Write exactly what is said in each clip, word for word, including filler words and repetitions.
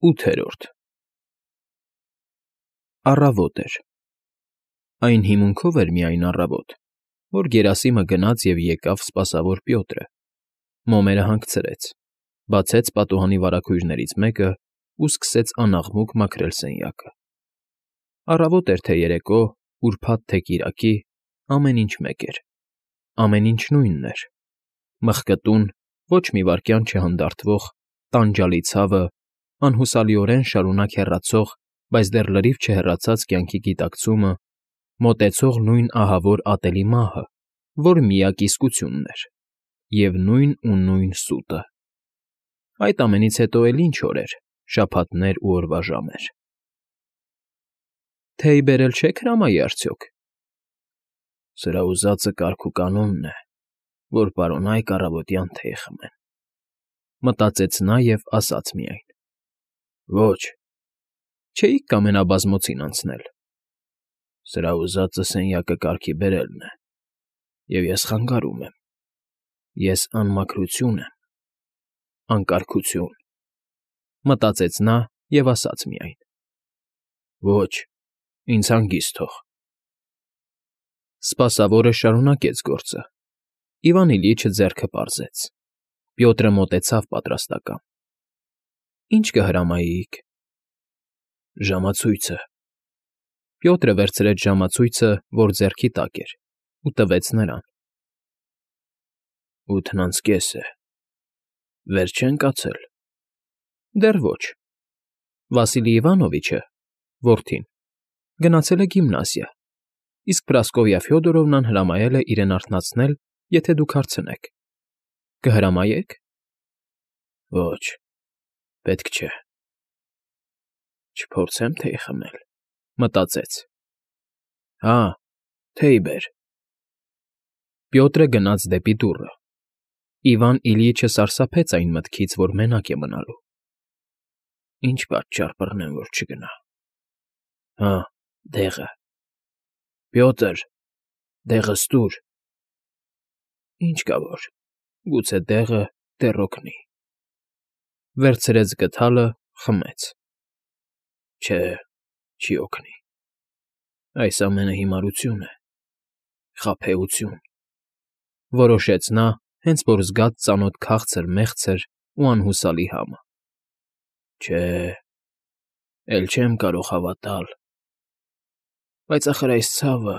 ՈՒԹԵՐՈՐԴ Առավոտ էր։ Այն հիմունքով էր միայն առավոտ, որ գերասիմը գնաց և եկավ սպասավոր Պյոտրը, մոմերը հանգցրեց, բացեց պատուհանի վարագույրներից մեկն ու սկսեց անաղմուկ մաքրել սենյակը։ Առավոտ էր թե երեկո, ուրբաթ թե կիրակի, ամեն ինչ մեկ էր, ամեն ինչ նույնն էր, մխկտուն, ոչ մի վայրկյան չհանդարտվող տանջալի ցավը, անհուսալիորեն շարունակ հեռացող, բայց դեռ լրիվ չհեռացած կյանքի գիտակցումը, մոտեցող նույն ահավոր ատելի մահը, որ միակ իսկությունն էր, և նույն ու նույն սուտը։ Այդ ամենից հետո էլ ինչ օր էր, շաբաթներ ու օրվա ժամեր։ ֊ Թեյ բերել չե՞ք հրամայի արդյոք։ ֊ Սրա ուզածը կարգուկանոնն է, որ պարոնայք առավոտյան թեյ խմեն,֊ մտածեց նա և ասաց միայն. Ոչ։ ֊ Չէի՞ք կամենա բազմոցին անցնել։ ֊ Սրա ուզածը սենյակը կարգի բերելն է, և ես խանգարում եմ, ես անմաքրություն եմ, անկարգություն,֊ մտածեց նա և ասաց միայն. Ոչ, ինձ հանգիստ թող։ Սպասավորը շարունակեց գործը։ Իվան Իլյիչը ձեռքը պարզեց։ Պյոտրը մոտեցավ պատրաստական։ ֊ Ի՞նչ կհրամայեիք։ ֊ Ժամացույցը։ Պյոտրը վերցրեց ժամացույցը, որ ձեռքի տակ էր, ու տվեց նրան։ ֊ Ութն անց կես է, վեր չե՞ն կացել։ ֊ Դեռ ոչ։ Վասիլի Իվանովիչը (որդին) գնացել է գիմնազիա, իսկ Պրասկովյա Ֆյոդորովնան հրամայել է իրեն արթնացնել, եթե դուք հարցնեք։ Կհրամայե՞ք։ ֊ Ոչ, պետք չէ։ Չփորձեմ թեյ խմել,֊ մտածեց։ ֊ Հա, թեյ բեր։ Պյոտրը գնաց դեպի դուռը։ Իվան Իլյիչը սարսափեց այն մտքից, որ մենակ է մնալու։ Ինչ պատճառ բռնեմ, որ չգնա։ Հա, դեղը։ Պյոտր, դեղը ստուր։ Ինչ կա որ, գուցե դեղը դեռ օգնի։ Վերցրեց գդալը, խմեց։ Չէ, չի օգնի։ Այս ամենը հիմարություն է, խաբեություն,֊ որոշեց նա, հենց որ զգաց ծանոթ քաղցր մեղցր ու անհուսալի համը։ Չէ, էլ չեմ կարող հավատալ։ Բայց ախր այս ցավը,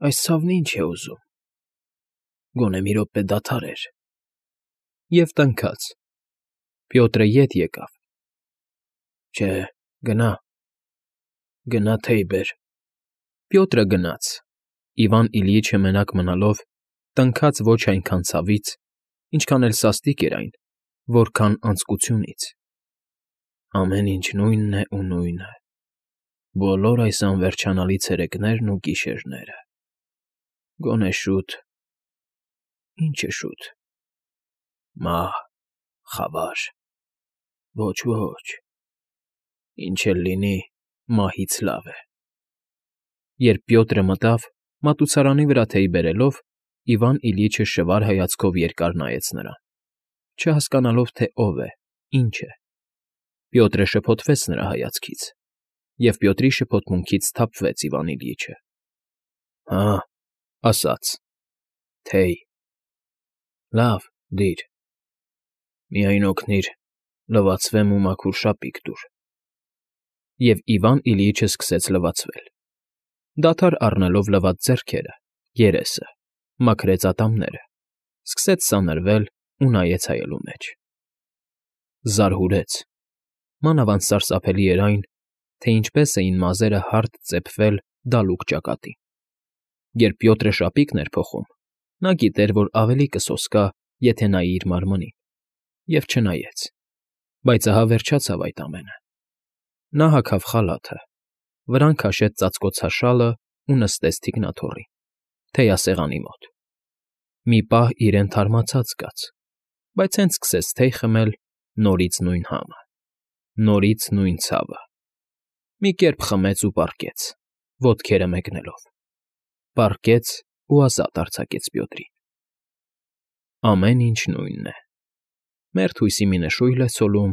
այս ցավն ի՞նչ է ուզում, գոնե մի րոպե դադարեր… Եվ տնքաց։ Պյոտրը ետ եկավ։ Չէ, գնա, գնա թեյ բեր։ Պյոտրը գնաց։ Իվան Իլյիչը մենակ մնալով տնքաց ոչ այնքան ցավից, ինչքան էլ սաստիկ էր այն, որքան անձկությունից։ Ամեն ինչ նույնն է ու նույնը, բոլոր այս անվերջանալի ցերեկներն ու գիշերները… Գոնե շուտ… Ի՞նչ է շուտ… Մահ, խավար… Ոչ, ոչ… Ինչ էլ լինի, մահից լավ է… Երբ Պյոտրը մտավ, մատուցարանի վրա թեյ բերելով, Իվան Իլյիչը շվար հայացքով երկար նայեց նրան, չհասկանալով, թե ով է, ինչ է։ Պյոտրը շփոթվեց նրա հայացքից, և Պյոտրի շփոթմունքից սթափվեց Իվան Իլյիչը։ Հա, ասաց. Թեյ… Լավ, դիր… Միայն օգնիր, լվացվեմ ու մաքուր շապիկ տուր… Եվ Իվան Իլյիչը սկսեց լվացվել։ Դադար առնելով լված ձեռքերը, երեսը, մաքրեց ատամները, սկսեց սանրվել ու նայեց հայելու մեջ։ Զարհուրեց։ Մանավանդ սարսափելի էր այն, թե ինչպես էին մազերը հարթ ծեփվել դալուկ ճակատին։ Երբ Պյոտրը շապիկն էր փոխում, նա գիտեր, որ ավելի կսոսկա, եթե նայի իր մարմնին, և չնայեց։ Բայց ահա վերջացավ այդ ամենը։ Նա հագավ խալաթը, վրան քաշեց ծածկոցաշալն ու նստեց թիկնաթոռին, թեյասեղանի մոտ։ Մի պահ իրեն թարմացած զգաց, բայց հենց սկսեց թեյ խմել, նորից նույն համը, նորից նույն ցավը։ Մի կերպ խմեց ու պառկեց, ոտքերը մեկնելով, պառկեց ու ազատ արձակեց Պյոտրին։ Ամեն ինչ նույնն է։ Մերթ հույսի մի նշույլ է ցոլում,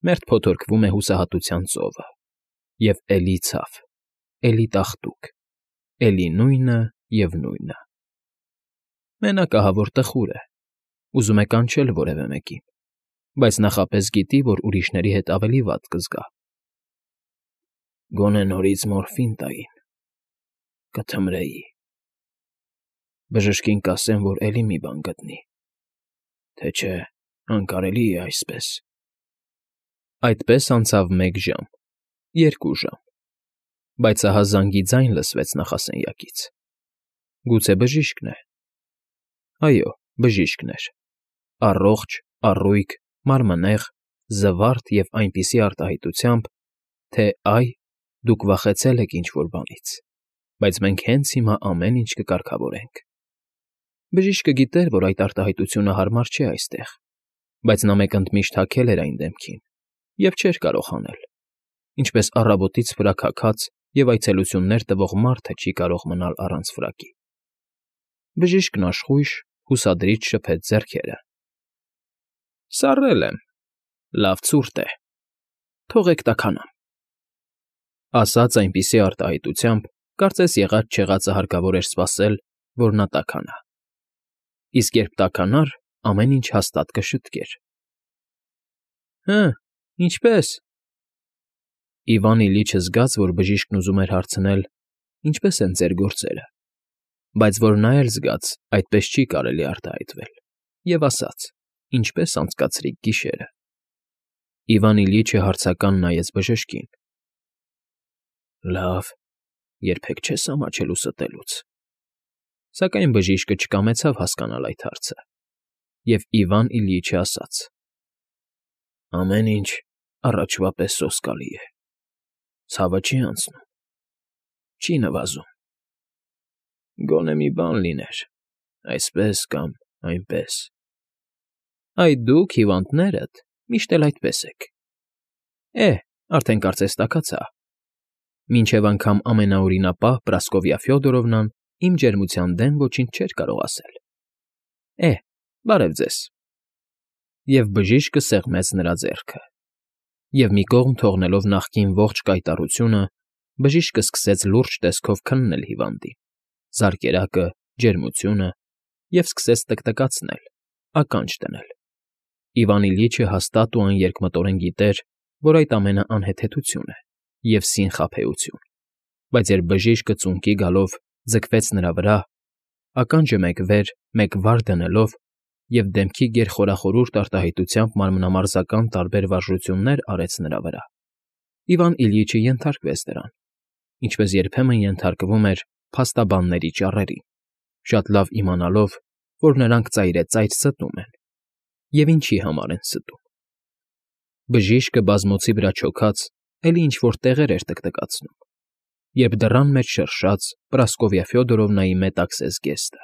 Մերթ փոթորկվում է հուսահատության ծովը, և էլի ցավ, էլի տաղտուկ, էլի նույնը և նույնը… Մենակ ահավոր տխուր է, ուզում է կանչել որևէ մեկին, բայց նախապես գիտի, որ ուրիշների հետ ավելի վատ կզգա։ Գոնե նորից մորֆին տային, կթմրեի… Բժշկին կասեմ, որ էլի մի բան գտնի, թե չէ անկարելի է այսպես… Այդպես անցավ մեկ ժամ, երկու ժամ, բայց ահա զանգի ձայն լսվեց նախասենյակից… Գուցե բժիշկն է… Այո, բժիշկն էր, առողջ, առույգ, մարմնեղ, զվարթ և այնպիսի արտահայտությամբ, թե «Այ, դուք վախեցել եք ինչ֊որ բանից, բայց մենք հենց հիմա ամեն ինչ կկարգավորենք»։ Բժիշկը գիտեր, որ այդ արտահայտությունը հարմար չէ այստեղ, բայց նա մեկ ընդմիշտ հագել էր այն դեմքին և չէր կարող անել, ինչպես առավոտից ֆրակաքած և այցելություններ տվող մարդը չի կարող մնալ առանց ֆրակի։ Բժիշկն աշխույժ, հուսադրիչ շփեց ձեռքերը։ ֊ Սառել եմ, լավ ցուրտ է, թողեք տաքանամ… Ասաց այնպիսի արտահայտությամբ, կարծես եղած֊չեղածը հարկավոր էր սպասել, որ նա տաքանա, իսկ երբ տաքանար, ամեն ինչ հաստատ կշտկեր։ ֊ Հը, ինչպե՞ս… Իվան Իլիչը զգաց, որ բժիշկն ուզում էր հարցնել. ինչպե՞ս են ձեր գործերը, բայց որ նա էլ զգաց՝ այդպես չի կարելի արտահայտվել, և ասաց. ինչպե՞ս անցկացրիք գիշերը… Իվան Իլիչը հարցական նայեց բժշկին։ ֊ Լավ, երբեք չես ամաչելու ստելուց… Սակայն բժիշկը չկամեցավ հասկանալ այդ հարցը, և Իվան Իլիչը ասաց. ամեն ինչ առաջվա պես սոսկալի է, ցավը չի անցնում, չի նվազում… Գոնե մի բան լիներ, այսպես կամ այնպես… Այ դուք, հիվանդներդ, միշտ էլ այդպես եք… Է՜, արդեն կարծես տաքացա… Մինչև անգամ ամենաօրինապահ Պրասկովյա Ֆյոդորովնան իմ ջերմության դեմ ոչինչ չէր կարող ասել… Է՜, բարև ձեզ… Եվ բժիշկը սեղմեց նրա ձեռքը, և մի կողմ թողնելով նախկին ողջ կայտառությունը, բժիշկը սկսեց լուրջ տեսքով քննել հիվանդին, զարկերակը, ջերմությունը և սկսեց տկտկացնել, ականջ դնել… Իվան Իլիչը հաստատ ու աներկմտորեն գիտեր, որ այդ ամենը անհեթեթություն է և սին խաբեություն, բայց երբ բժիշկը ծունկի գալով ձգվեց նրա վրա, ականջը մեկ վեր, մեկ վար դնելով և դեմքի գերխորախորուրդ արտահայտությամբ մարմնամարզական տարբեր վարժություններ արեց նրա վրա, Իվան Իլիչը ենթարկվեց դրան, ինչպես երբեմն ենթարկվում էր փաստաբանների ճառերին, շատ լավ իմանալով, որ նրանք ծայրեծայր ստում են, և ինչի համար են ստում… Բժիշկը բազմոցի վրա չոքած, էլի ինչ֊որ տեղեր էր տկտկացնում, երբ դռան մեջ շրշաց Պրասկովյա Ֆյոդորովնայի մետաքսես գեստը,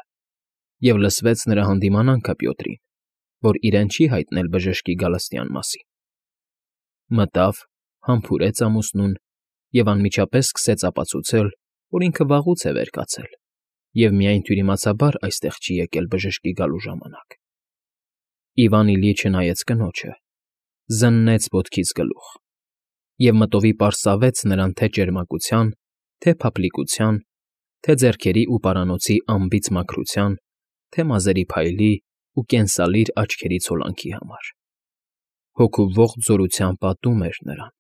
և լսվեց նրա հանդիմանանքը Պյոտրին, որ իրեն չի հայտնել բժշկի գալստյան մասին… Մտավ, համբուրեց ամուսնուն և անմիջապես սկսեց ապացուցել, որ ինքը վաղուց է վեր կացել և միայն թյուրիմացաբար այստեղ չի եկել բժշկի գալու ժամանակ… Իվան Իլիչը նայեց կնոջը, զննեց ոտքից գլուխ և մտովի պարսավեց նրան թե ճերմակության, թե փափլիկության, թե ձեռքերի ու պարանոցի անբիծ մաքրության, թե մազերի փայլի ու կենսալիր աչքերի ցոլանքի համար… Հոգու ողջ զորությամբ պատում էր նրան,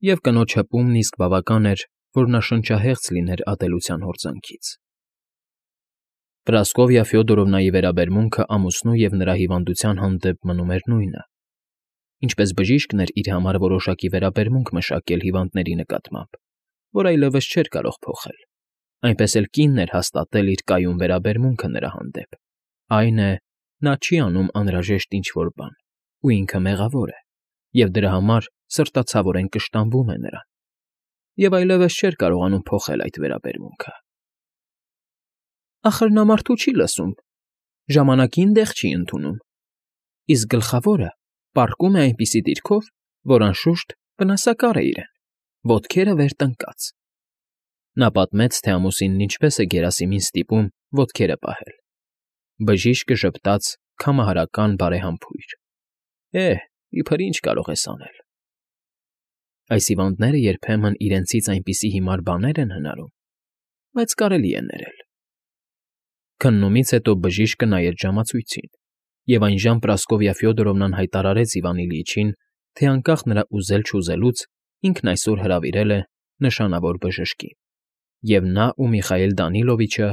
և կնոջ հպումն իսկ բավական էր, որ նա շնչահեղձ լիներ ատելության հորձանքից… Պրասկովյա Ֆյոդորովնայի վերաբերմունքը ամուսնու և նրա հիվանդության հանդեպ մնում էր նույնը, ինչպես բժիշկն էր իր համար որոշակի վերաբերմունք մշակել հիվանդների նկատմամբ, որ այլևս չէր կարող փոխել, այնպես էլ կինն էր հաստատել իր կայուն վերաբերմունքը նրա հանդեպ, այն է, նա չի անում անհրաժեշտ ինչ֊որ բան, ու ինքը մեղավոր է, և դրա համար սրտացավորեն կշտամբում է նրան, և այլևս չէր կարողանում փոխել այդ վերաբերմունքը… Ախր նա մարդու չի լսում, ժամանակին դեղ չի ընդունում, իսկ գլխավորը պառկում է այնպիսի դիրքով, որ, անշուշտ, վնասակար է իրեն, ոտքերը վեր տնկած… Նա պատմեց, թե ամուսինն ինչպես է Գերասիմին ստիպում ոտքերը պահել… Բժիշկը ժպտաց քամահարական բարեհամբույր. Է՜, իբր ինչ կարող ես անել… Այս հիվանդները երբեմն իրենցից այնպիսի հիմար բաներ են հնարում, բայց կարելի է ներել։ Քննումից հետո բժիշկը նայեց ժամացույցին, և այնժամ Պրասկովյա Ֆյոդորովնան հայտարարեց Իվան Իլյիչին, թե անկախ նրա ուզել֊չուզելուց ինքն այսօր հրավիրել է նշանավոր բժշկին, և նա ու Միխայիլ Դանիլովիչը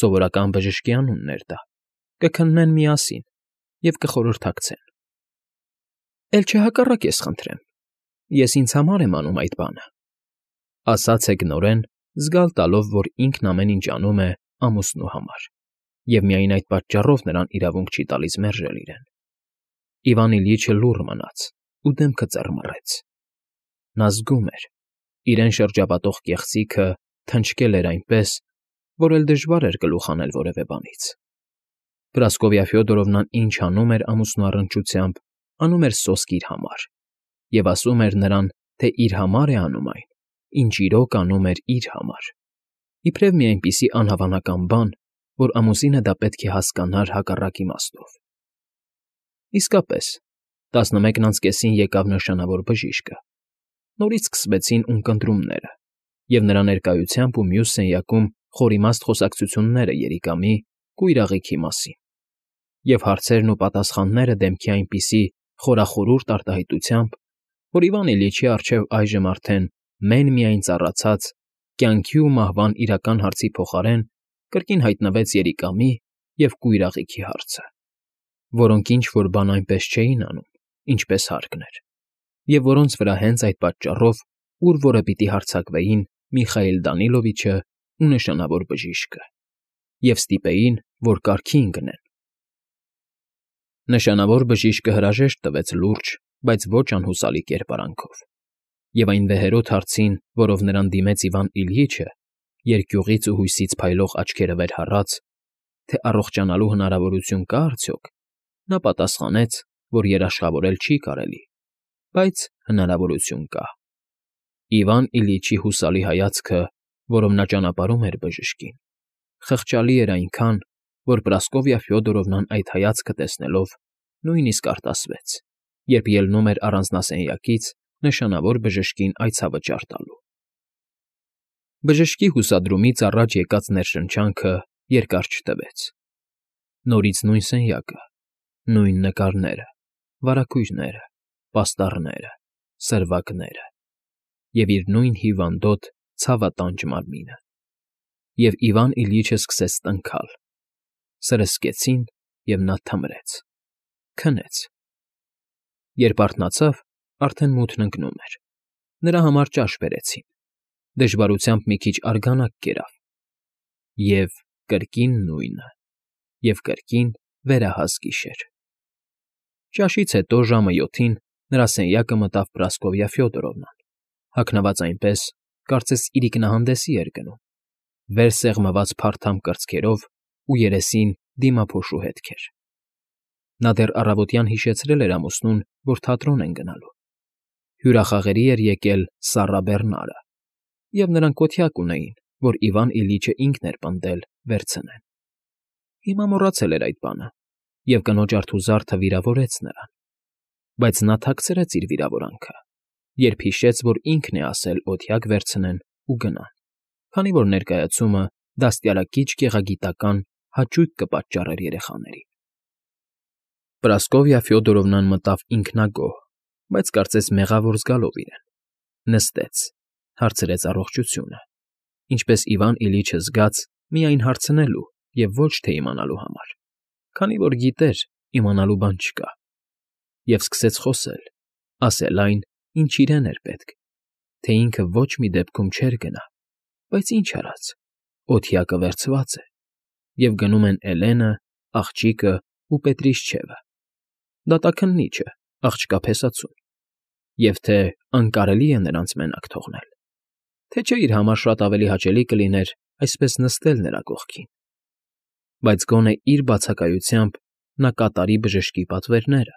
(սովորական բժշկի անունն էր դա) կքննեն միասին և կխորհրդակցեն։ ֊ Էլ չհակառակ ես խնդրեմ, ես ինձ համար եմ անում այդ բանը,֊ ասաց Հեգնորեն, զգալ տալով, որ ինքն ամեն ինչ անում է ամուսնու համար, և միայն այդ պատճառով նրան իրավունք չի տալիս մերժել իրեն։ Իվան Իլյիչը լուռ մնաց ու դեմքը ծռմռեց. նա զգում էր, իրեն շրջապատող կեղծիքը թնչկել էր այնպես, որ էլ դժվար էր գլուխ հանել որևէ բանից։ Պրասկովյա Ֆյոդորովնան ինչ անում էր ամուսնու առնչությամբ, անում էր սոսկ իր համար, և ասում էր նրան, թե իր համար է անում այն, ինչ իրոք անում էր իր համար, իբրև մի այնպիսի անհավանական բան, որ ամուսինը դա պետք է հասկանար հակառակ իմաստով։ Իսկապես, տասնմեկն անց կեսին եկավ նշանավոր բժիշկը։ Նորից սկսվեցին ունկնդրումները, և նրա ներկայությամբ ու մյուս սենյակում խորիմաստ խոսակցությունները երիկամի, կույրաղիքի մասին, և հարցերն ու պատասխանները դեմքի այնպիսի խորախորուրդ արտահայտությամբ, որ Իվան Իլյիչի առջև այժմ արդեն մեն֊միայն ծառացած, կյանքի ու մահվան իրական հարցի փոխարեն կրկին հայտնվեց երիկամի և կույրաղիքի հարցը, որոնք ինչ֊որ բան այնպես չէին անում, ինչպես հարկն էր, և որոնց վրա հենց այդ պատճառով ուր որը պիտի հարձակվեին Միխայիլ Դանիլովիչը ու նշանավոր բժիշկը, և ստիպեին, որ կարգի ընկնեն։ Նշանավոր բժիշկը հրաժեշտ տվեց լուրջ, բայց ոչ անհուսալի կերպարանքով, և այն վեհերոտ հարցին, որով նրան դիմեց Իվան Իլյիչը, երկյուղից ու հույսից փայլող աչքերը վեր հառած, թե առողջանալու հնարավորություն կա՞ արդյոք, նա պատասխանեց, որ երաշխավորել չի կարելի, բայց հնարավորություն կա։ Իվան Իլյիչի հուսալի հայացքը, որով նա ճանապարհում էր բժշկին, խղճալի էր այնքան, որ Պրասկովյա Ֆյոդորովնան այդ հայացքը տեսնելով նույնիսկ արտասվեց, երբ ելնում էր առանձնասենյակից նշանավոր բժշկին այցավճար տալու։ Բժշկի հուսադրումից առաջ եկած ներշնչանքը երկար չտևեց. նորից նույն սենյակը, նույն նկարները, վարագույրները, պաստառները, սրվակները և իր նույն հիվանդոտ, ցավատանջ մարմինը։ Եվ Իվան Իլյիչը սկսեց տնքալ. սրսկեցին, և նա թմրեց, քնեց։ Երբ արթնացավ, արդեն մութն ընկնում էր, նրա համար ճաշ բերեցին, դժվարությամբ մի քիչ արգանակ կերավ, և կրկին նույնը, և կրկին վերահաս գիշեր։ Ճաշից հետո ժամը յոթին նրա սենյակը մտավ Պրասկովյա Ֆյոդորովնան, հագնված այնպես, կարծես իրիկնահանդեսի էր գնում, վեր սեղմված փարթամ կրծքերով ու երեսին դիմափոշու հետքեր։ Նա դեռ առավոտյան հիշեցրել էր ամուսնուն, որ թատրոն են գնալու։ Հյուրախաղերի էր եկել Սառա Բեռնարը, և նրանք օթյակ ունեին, որ Իվան Իլյիչը ինքն էր պնդել վերցնեն։ Հիմա մոռացել էր այդ բանը, և կնոջ արթուզարդը վիրավորեց նրան, բայց նա թաքցրեց իր վիրավորանքը, երբ հիշեց, որ ինքն է ասել օթյակ վերցնեն ու գնան, քանի որ ներկայացումը դաստիարակիչ գեղագիտական հաճույք կպատճառեր երեխաներին։ Պրասկովյա Ֆյոդորովնան մտավ ինքնագոհ, բայց կարծես մեղավոր զգալով իրեն, նստեց, հարցրեց առողջությունը, ինչպես Իվան Իլյիչը զգաց միայն հարցնելու և ոչ թե իմանալու համար, քանի որ գիտեր, իմանալու բան չկա, և սկսեց խոսել, ասել այն, ինչ իրեն էր պետք, թե ինքը ոչ մի դեպքում չէր գնա, բայց ինչ արած, օթյակը վերցված է, և գնում են Էլենը, աղջիկը ու Պետրիշչևը, դատաքննիչը, աղջկա փեսացուն, և թե անկարելի է նրանց մենակ թողնել, թե չէ իր համար շատ ավելի հաճելի կլիներ այսպես նստել նրա կողքին, բայց գոնե իր բացակայությամբ նա կատարի բժշկի պատվերները։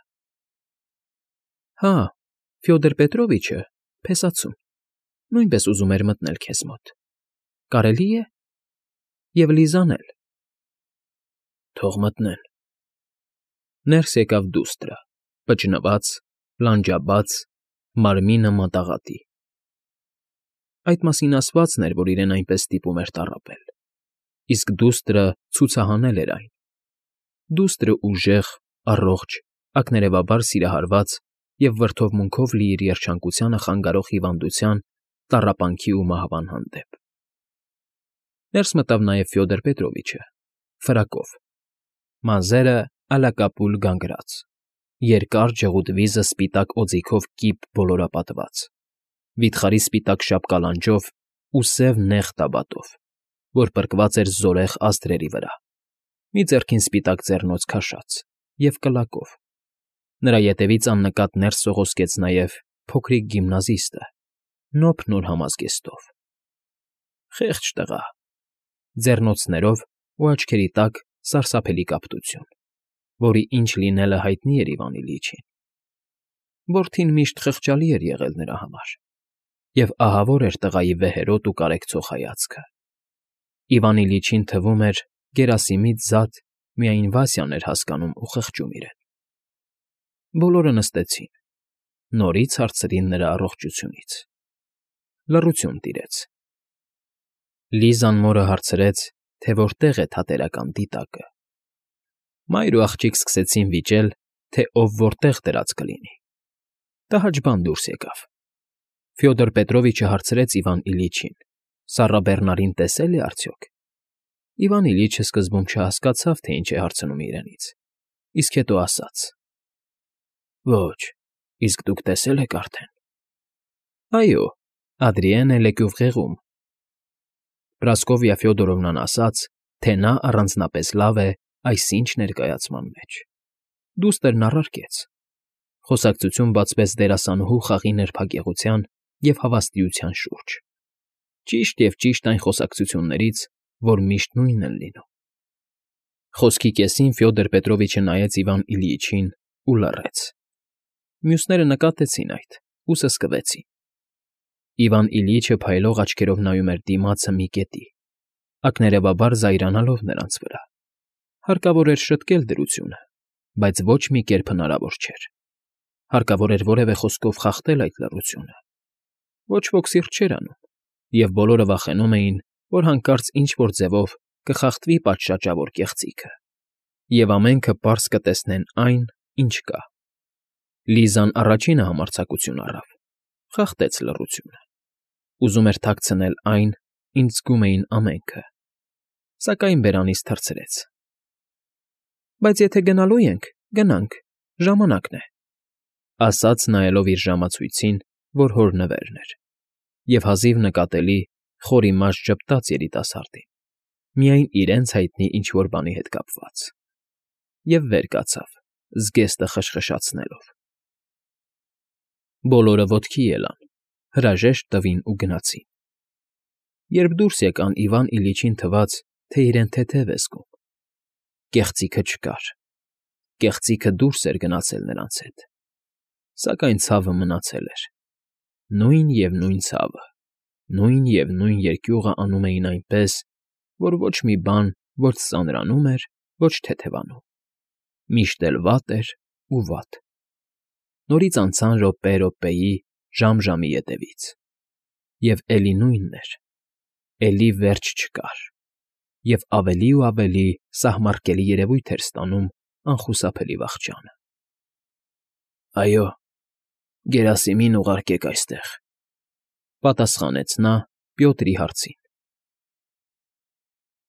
Հա, Ֆյոդոր Պետրովիչը, փեսացուն, նույնպես ուզում էր մտնել քեզ մոտ, կարելի՞ է, և Լիզան էլ։ Թող մտնեն։ Ներս եկավ դուստրը, պճնված, լանջաբաց, մարմինը մատաղատի, Այդ մասին ասվածն էր, որ իրեն այնպես ստիպում էր տառապել, իսկ դուստրը ցուցահանել էր այն. դուստրը ուժեղ, առողջ, ակներևաբար սիրահարված և վրդովմունքով լի իր երջանկությանը խանգարող հիվանդության, տառապանքի ու մահվան հանդեպ։ Ներս մտավ նաև Ֆյոդոր Պետրովիչը, ֆրակով, մազերը ալակապուլ գանգրած, երկար ջղուդ վիզը սպիտակ օձիքով կիպ բոլորապատված, վիթխարի սպիտակ շապկալանջով ու սև նեղ տաբատով, որ պրկված էր զորեղ աստրերի վրա, մի ձեռքին սպիտակ ձեռնոց քաշած և կլակով։ Նրա ետևից աննկատ ներս սողոսկեց նաև փոքրիկ գիմնազիստը, նոփ նոր համազգեստով։ Խեղճ տղա, ձեռնոցներով ու աչքերի տակ սարսափելի կապտություն, որի ինչ լինելը հայտնի էր Իվան Իլիչին։ Որդին միշտ խղճալի էր եղել նրա համար, և ահավոր էր տղայի վեհերոտ ու կարեկցող հայացքը։ Իվան Իլիչին թվում էր Գերասիմից զատ միայն Վասյան էր հասկանում ու խղճում իրեն։ Բոլորը նստեցին, նորից հարցրին նրա առողջությունից։ Լռություն տիրեց։ Լիզան մորը հարցրեց, թե որտեղ է Թատերական դիտակը։ Մայր ու աղջիկ սկսեցին վիճել, թե ով որտեղ դրած կլինի։ Տհաճ բան դուրս եկավ։ Ֆյոդոր Պետրովիչը հարցրեց Իվան Իլիչին. սառաբեռնարին տեսե՞լ է արդյոք։ Իվան Իլիչը սկզբում չհասկացավ, թե ինչ է հարցնում իրենից, իսկ հետո ասաց. Ոչ, իսկ դուք տեսե՞լ եք արդեն։ Այո, Ադրիենը Լեկյուվղեղում։ Պրասկովիա Ֆյոդորովնան ասաց, թե նա առանձնապես լավ է այսինչ ներկայացման մեջ։ Դուստրն առարկեց։ Խոսակցություն բացվեց դերասանուհու խաղի նրբագեղության և հավաստիության շուրջ։ Ճիշտ և ճիշտ այն խոսակցություններից, որ միշտ նույնն են լինում։ Խոսքի կեսին Ֆյոդոր Պետրովիչը նայեց Իվան Իլիիչին ու լռեց։ Մյուսները նկատեցին այդ ու սսկվեցին։ Իվան Իլիիչը փայլող աչքերով նայում էր դիմացը մի կետի, ակներևաբար զայրանալով նրանց վրա։ Հարկավոր էր շտկել դրությունը, բայց ոչ մի կերպ հնարավոր չէր։ Հարկավոր էր որևէ խոսքով խախտել այդ լռությունը։ Ոչ ոք սիրտ չէր անում, և բոլորը վախենում էին, որ հանկարծ ինչ֊որ ձևով կխախտվի պատշաճավոր կեղծիքը, և ամենքը պարզ կտեսնեն այն, ինչ կա։ Լիզան առաջինը համարձակություն առավ, խախտեց լռությունը։ Ուզում էր թաքցնել այն, ինչ զգում էին ամենքը, սակայն բերանից թռցրեց։ Բայց եթե գնալու ենք, գնանք, ժամանակն է, ասաց նայելով իր ժամացույցին, որ հոր նվերն էր, և հազիվ նկատելի խորիմաստ ժպտաց երիտասարդին, միայն իրենց հայտնի ինչ֊որ բանի հետ կապված, և վեր կացավ, զգեստը խշխշացնելով։ Բոլորը ոտքի ելան, հրաժեշտ տվին ու գնացին։ Երբ դուրս եկան, Իվան Իլիչին թվաց, թե իրեն թեթև է զգում։ Կեղծիքը չկար, կեղծիքը դուրս էր գնացել նրանց հետ, սակայն ցավը մնացել էր։ Նույն և նույն ցավը, նույն և նույն երկյուղը անում էին այնպես, որ ոչ մի բան ոչ ծանրանում էր, ոչ թեթևանում, միշտ էլ վատ էր ու վատ։ Նորից անցան րոպե րոպեի, ժամ ժամի ետևից, և էլի նույնն էր, էլի վերջ չկար, և ավելի ու ավելի սահմռկելի երևույթ էր ստանում անխուսափելի վախճանը։ Այո, Գերասիմին ուղարկեք այստեղ, ֊ պատասխանեց նա Պյոտրի հարցին։